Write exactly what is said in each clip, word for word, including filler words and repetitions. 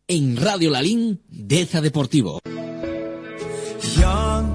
En Radio Lalín, Deza Deportivo. Young,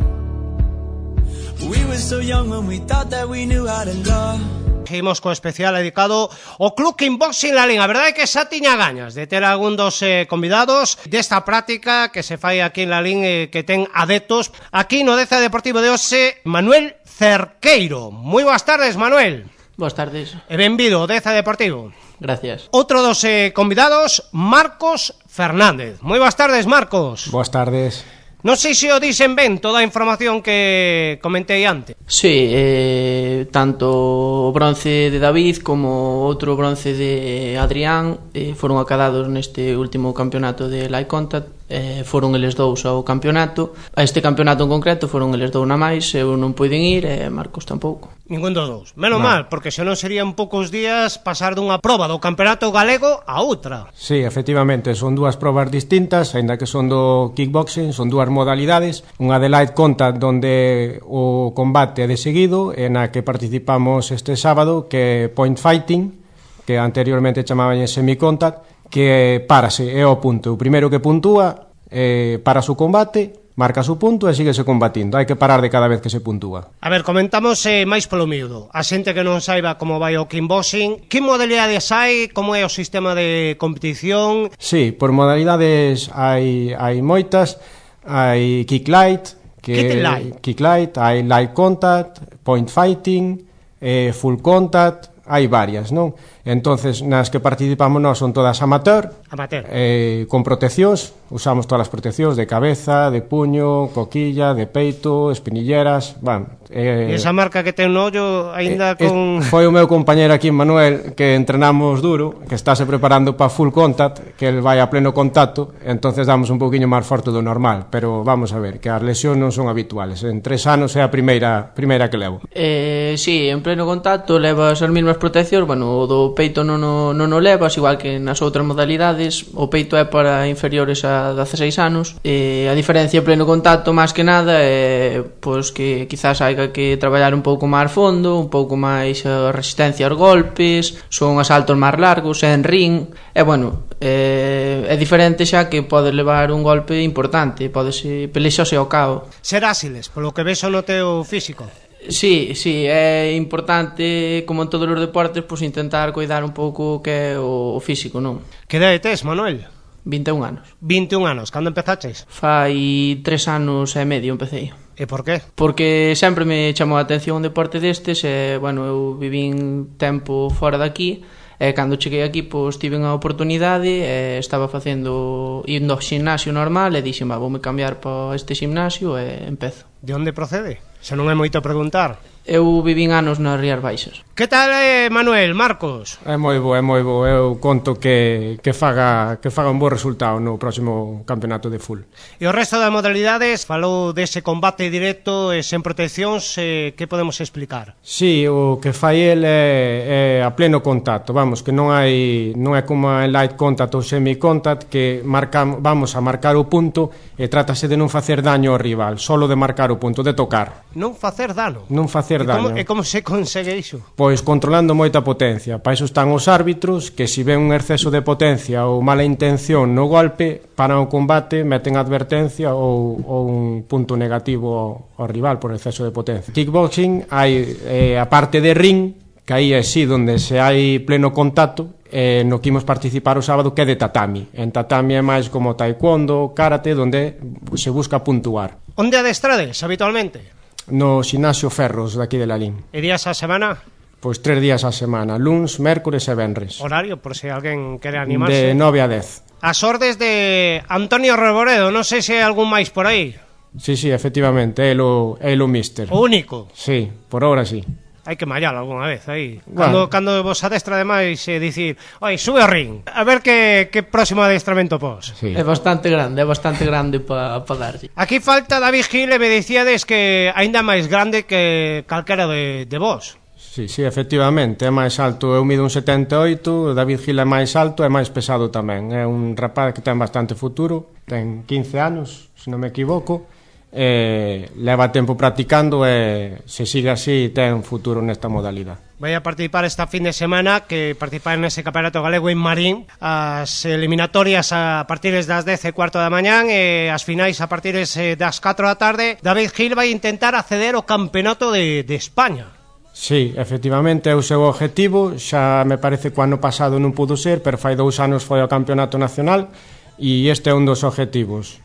we were so young when we thought that we knew how to love. Seguimos co especial dedicado ao Club Kickboxing Lalín. A verdade é que xa tiña gañas de ter algún dos eh, convidados desta práctica que se fai aquí en Lalín, eh, que ten adeptos. Aquí no Deza Deportivo de hoxe, Manuel Cerqueiro. Moi boas tardes, Manuel. Boas tardes. E benvido ao Deza Deportivo. Gracias. Outro dos eh, convidados, Marcos Fernández. Moi boas tardes, Marcos. Boas tardes. Non sei se o dixen ben toda a información que comentei antes. Sí, eh, tanto o bronce de David como outro bronce de Adrián eh, foron acadados neste último campeonato de Light Contact. Eh, foron eles dous ao campeonato. A este campeonato en concreto foron eles dous na máis. Eu non puiden ir e Marcos tampouco. Ningún dos dous. Menos no. mal, porque senón serían poucos días pasar dunha proba do campeonato galego a outra. Sí, efectivamente, son dúas probas distintas, aínda que son do kickboxing, son dúas modalidades. Unha de Light Contact, donde o combate é de seguido, e na que participamos este sábado, que é Point Fighting, que anteriormente chamaban semi-contact, que párase, é o punto. O primeiro que puntúa, eh, para o combate, marca o punto e síguese combatindo. Hai que parar de cada vez que se puntúa. A ver, comentamos eh, máis polo miúdo. A xente que non saiba como vai o kickboxing, que modalidades hai, como é o sistema de competición? Sí, por modalidades hai, hai moitas. Hai kick light, que kick light. Kick light, hai light contact, point fighting, eh, full contact, hai varias, non? Entonces, nas que participamos nós son todas amateur, amateur. Eh, con proteccións, usamos todas as proteccións de cabeza, de puño, coquilla, de peito, espinilleras, van. Eh, e esa marca que ten no ollo aínda eh, con... Foi o meu compañero aquí, Manuel, que entrenamos duro, que estáse preparando para full contact, que el vai a pleno contacto, entonces damos un pouquiño máis forte do normal, pero vamos a ver, que as lesións non son habituales. En tres anos é a primeira primeira que levo. Eh, sí, en pleno contacto levas as mesmas proteccións, bueno, o do peito non o, non o levas, igual que nas outras modalidades. O peito é para inferiores a dezaseis anos. E a diferencia en pleno contacto, máis que nada, é pois que quizás haiga que traballar un pouco máis fondo, un pouco máis a resistencia aos golpes, son asaltos máis largos, é en ring. E bueno, é, é diferente xa que podes levar un golpe importante, podes pelexarse ao cabo. Ser áxiles, polo que ves no teu físico. Sí, sí, é importante, como en todos os deportes, pues, intentar cuidar un pouco que é o, o físico, non? Que idade tes, Manuel? vinte e un anos. vinte e un anos, cando empezaches? Fai tres anos e medio empecé. E por qué? Porque sempre me chamou a atención un deporte destes e, bueno, eu vivín tempo fora daqui e cando cheguei aquí, pois, tive unha oportunidade e estaba facendo, indo ao gimnasio normal e dixen, va, voume cambiar para este gimnasio e empezo. De onde procede? Se non é moito preguntar. Eu vivín anos nas Rías Baixas. Que tal, eh, Manuel, Marcos? É moi bo, é moi bo. Eu conto que, que, faga, que faga un bo resultado no próximo campeonato de full. E o resto das modalidades, falou dese combate directo e sen proteccións, eh, que podemos explicar? Sí, o que fai el é, é a pleno contacto. Vamos, que non hai non é como en light contact ou semi-contact, que marcamos, vamos a marcar o punto e trátase de non facer daño ao rival, solo de marcar o punto, de tocar. Non facer dano? Non facer E como, daño. e como se consegue iso? Pois controlando moita potencia. Para iso están os árbitros, que se ven un exceso de potencia ou mala intención no golpe, paran o combate, meten advertencia ou, ou un punto negativo ao, ao rival por exceso de potencia. Kickboxing hai eh, a parte de ring, que aí é sí donde se hai pleno contacto, eh, no que imos participar o sábado, que é de tatami. En tatami é máis como taekwondo, karate, donde se busca puntuar. Onde adestrades habitualmente? No Ximnasio Ferros daqui de Lalín. E días a semana? Pois tres días a semana, luns, mércores e venres. Horario, por se alguén quere animarse. De nove a dez. As ordes de Antonio Reboredo, non sei se hai algún máis por aí. Sí, sí, efectivamente, é o, é o míster. O único? Sí, por ahora sí. Hai que mallar algunha vez aí. Bueno. Cando, cando vos adestra ademais e eh, dicir, oi, sube ao ring, a ver que, que próximo adestramento pos. Sí. É bastante grande, é bastante grande para pa darlle. Aquí falta David Gil e me dicíades que aínda máis grande que calquera de, de vos. Sí, sí, efectivamente, é máis alto. Eu mido un setenta e oito, David Gil é máis alto e máis pesado tamén. É un rapaz que ten bastante futuro, ten quince anos, se non me equivoco, eh, leva tempo practicando e se sigue así ten futuro nesta modalidade. Vai a participar esta fin de semana, que participar nese campeonato galego en Marín, as eliminatorias a partir das dez e cuarto da mañán e as finais a partir das catro da tarde. David Gil vai intentar acceder ao campeonato de, de España. Sí, efectivamente é o seu objetivo. Xa me parece que o ano pasado non pudo ser, pero fai dous anos foi ao campeonato nacional e este é un dos objetivos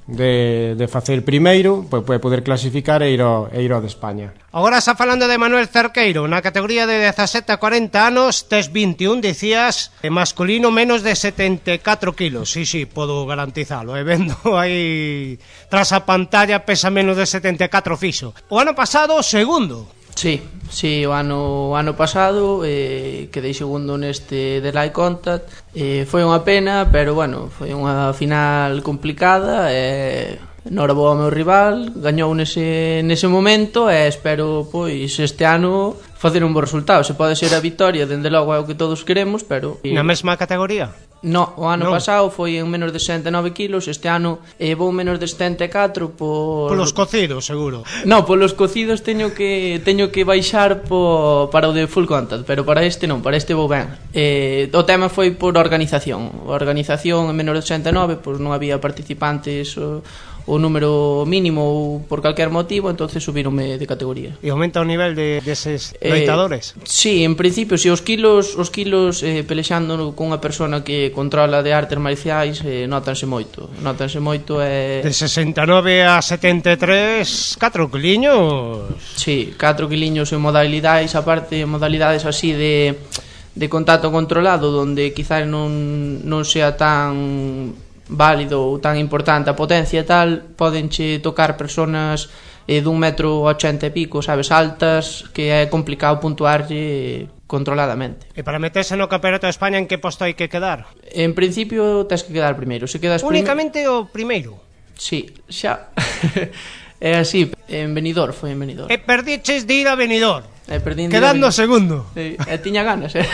de, de facer primeiro, pois pues, poder clasificar e ir ao, e ir ao de España. Agora está falando de Manuel Cerqueiro, na categoría de dezasete a cuarenta anos, tes vinte e un, dicías, masculino menos de setenta e catro kilos. Sí, sí, podo garantizalo, e vendo aí tras a pantalla pesa menos de setenta e catro fixo. O ano pasado, segundo. Sí, sí, o ano, o ano pasado eh, quedei segundo neste de Live Contact. eh, Foi unha pena, pero bueno, foi unha final complicada. eh, Nora boa ao meu rival, gañou nese, nese momento e espero pois este ano facer un bo resultado. Se pode ser a vitoria, dende logo é o que todos queremos, pero... Na mesma categoría? No, o ano non. pasado foi en menos de sesenta e nove kilos. Este ano eh, vou menos de setenta e catro por... Polos cocidos, seguro. No, polos cocidos teño que teño que baixar po, para o de full contact, pero para este non, para este vou ben. eh, O tema foi por organización. A organización en menos de sesenta e nove, pois non había participantes o, o número mínimo ou por calquer motivo, entonces subíronme de categoría. E aumenta o nivel de deses de loitadores? Eh, sí, en principio, si os kilos os kilos eh, pelexando cunha persona que controla de artes marciais, eh, notanse moito. Notanse moito e... De sesenta e nove a setenta e tres, catro quiliños. Sí, catro quiliños en modalidades, aparte modalidades así de de contacto controlado, donde quizás non non sea tan válido ou tan importante a potencia e tal, podenche tocar personas eh, dun metro ochenta e pico, sabes, altas, que é complicado puntuarlle controladamente. E para meterse no campeonato de España, en que posto hai que quedar? En principio tens que quedar primeiro. Se quedas únicamente prime... o primeiro? Sí, xa. É así, en Benidorm, foi en Benidorm. E perdiches de ir a Benidorm, e quedando segundo. E, e tiña ganas, eh.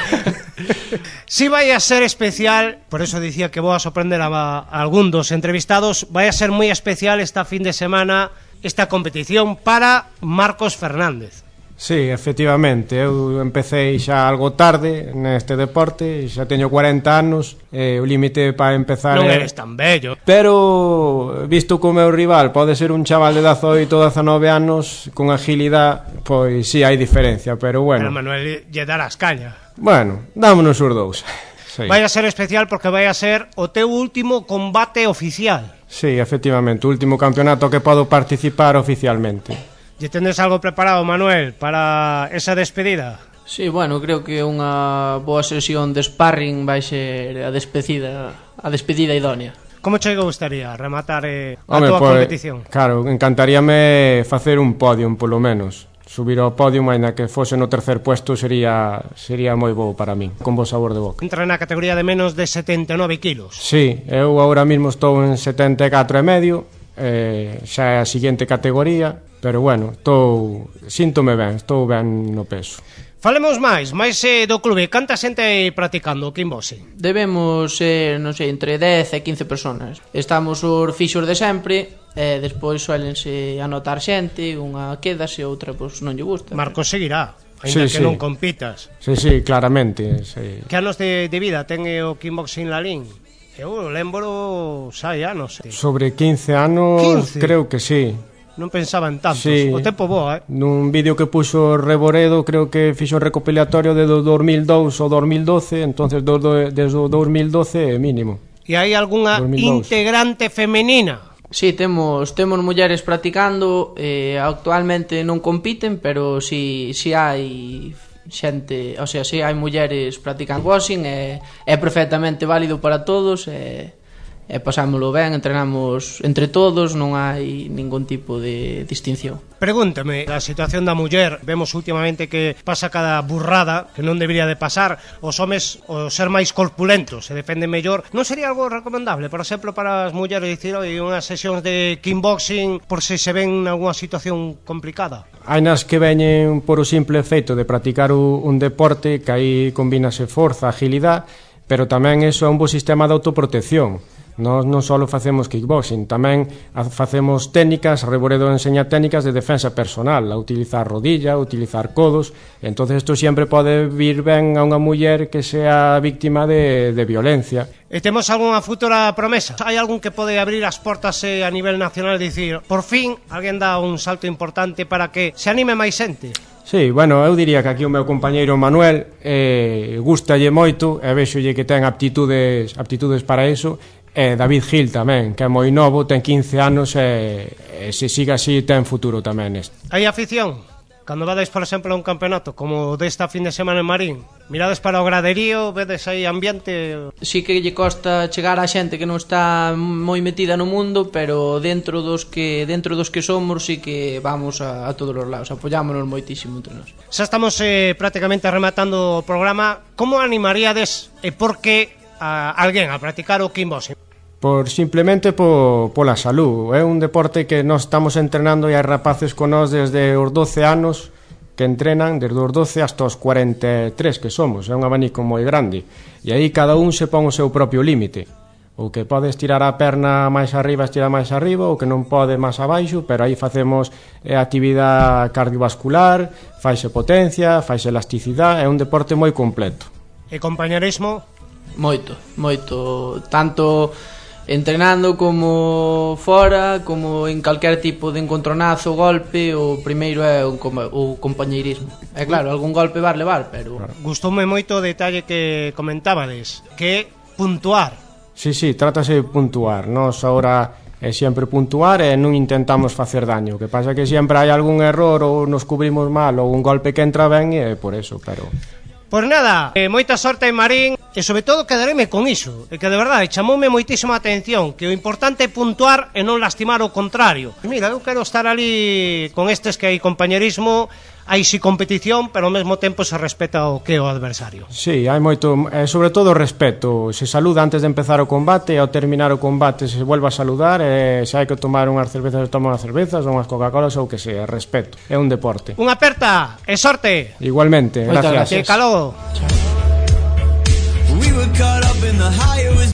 Si vai a ser especial, por eso dicía que vou a sorprender a, a algún dos entrevistados, vai a ser moi especial esta fin de semana esta competición para Marcos Fernández. Sí, efectivamente, eu empecé xa algo tarde neste deporte, xa teño cuarenta anos, e o límite para empezar... Non é... eres tan bello. Pero, visto que o meu rival pode ser un chaval de dezaoito ou dezanove anos, con agilidade, pois sí, hai diferencia, pero bueno... Pero Manuel lle darás caña. Bueno, dámonos os dous. Sí. Vai a ser especial porque vai a ser o teu último combate oficial. Sí, efectivamente, o último campeonato que podo participar oficialmente. E tendes algo preparado, Manuel, para esa despedida? Sí, bueno, creo que unha boa sesión de sparring vai ser a despedida, a despedida idónea. Como che gustaría rematar eh, a Home, tua pues, competición? Claro, encantaríame facer un podium, polo menos. Subir ao podium, ainda que fose no tercer puesto, sería sería moi bo para min, con bo sabor de boca. Entra na categoría de menos de setenta e nove kilos. Sí, eu agora mesmo estou en setenta e catro e medio, eh, xa é a seguinte categoría, pero bueno, estou, síntome ben, estou ben no peso. Falemos máis, máis eh, do clube. Canta xente aí practicando o kickboxing? Debemos ser, non sei, entre dez e quince personas. Estamos os fixos de sempre, e despois suelense anotar xente, unha quedase, outra pois non lle gusta. Marcos seguirá, ainda sí, que sí. non compitas. Sí, sí, claramente, sí. Que anos de, de vida ten o kickboxing Lalín? Eu lembro xa anos. Eh. Sobre quince anos, quince? Creo que sí. Non pensaba en tantos, sí. O tempo boa, eh? Nun vídeo que puxo Reboredo, creo que fixo un recopilatorio de do dos mil dous ou dos mil doce, entonces do, do, desde o dos mil doce mínimo. E hai algunha integrante femenina? Sí, temos temos mulleres practicando, eh, actualmente non compiten, pero si, si hai xente, o sea, si hai mulleres practicando boxing, é, é perfectamente válido para todos, e, e pasámoslo ben, entrenamos entre todos, non hai ningún tipo de distinción. Pregúntame, a situación da muller, vemos últimamente que pasa cada burrada que non debería de pasar, os homes o ser máis corpulentos se defenden mellor, non sería algo recomendable, por exemplo, para as mulleres dicir, oi, unhas sesións de kickboxing por se se ven nalgúna situación complicada? Hai nas que veñen por o simple feito de practicar un deporte que aí combínase forza, agilidade, pero tamén iso é un bo sistema de autoprotección. Nós non só facemos kickboxing, tamén facemos técnicas, Reboredo enseña técnicas de defensa personal, a utilizar rodilla, a utilizar codos. Entonces isto sempre pode vir ben a unha muller que sea víctima de, de violencia. E temos algunha futura promesa? Hai algún que pode abrir as portas eh, a nivel nacional e dicir, por fin, alguén dá un salto importante para que se anime máis xente? Sí, bueno, eu diría que aquí o meu compañeiro Manuel eh, gustalle moito e vexolle que ten aptitudes, aptitudes para iso. E David Gil tamén, que é moi novo, ten quince anos e, e se siga así ten futuro tamén neste. Hai afición? Cando vades, por exemplo, a un campeonato como desta fin de semana en Marín, mirades para o graderío, vedes aí ambiente? Sí que lle costa chegar a xente que non está moi metida no mundo, pero dentro dos que dentro dos que somos sí que vamos a, a todos os lados, apoyámonos moitísimo entre nós. Xa estamos eh, prácticamente rematando o programa. Como animaríades e por que a alguén a practicar o kickboxing? Por simplemente po, pola salud. É un deporte que nós estamos entrenando e hai rapaces con nós desde os doce anos que entrenan, desde os doce hasta os cuarenta e tres que somos. É un abanico moi grande. E aí cada un se pon o seu propio límite. O que pode estirar a perna máis arriba, estira máis arriba, o que non pode máis abaixo, pero aí facemos eh, actividade cardiovascular, faise potencia, faise elasticidade, é un deporte moi completo. E compañerismo? Moito, moito, tanto entrenando como fora, como en calquer tipo de encontronazo, golpe, o primeiro é o, o compañeirismo. É claro, algún golpe vas levar, pero... Gustoume moito o detalle que comentábades, que puntuar. Sí, sí, trátase de puntuar. Nós agora é sempre puntuar e non intentamos facer daño. O que pasa é que sempre hai algún error ou nos cubrimos mal ou un golpe que entra ben e é por eso, pero... Pois nada, eh, moita sorte en Marín e sobre todo quedaréme con iso, e que de verdade chamoume moitísima atención, que o importante é puntuar e non lastimar o contrario. Mira, eu quero estar ali con estes que hai compañerismo, hai si competición, pero ao mesmo tempo se respeta o que é o adversario. Sí, hai moito, eh, sobre todo o respeto. Se saluda antes de empezar o combate e ao terminar o combate se vuelve a saludar e se hai que tomar unhas cervezas se toma unhas cervezas ou unhas Coca-Colas ou que sea, respeto. É un deporte. Unha aperta e sorte. Igualmente, Moitas gracias. Que calor. We were caught up in the highest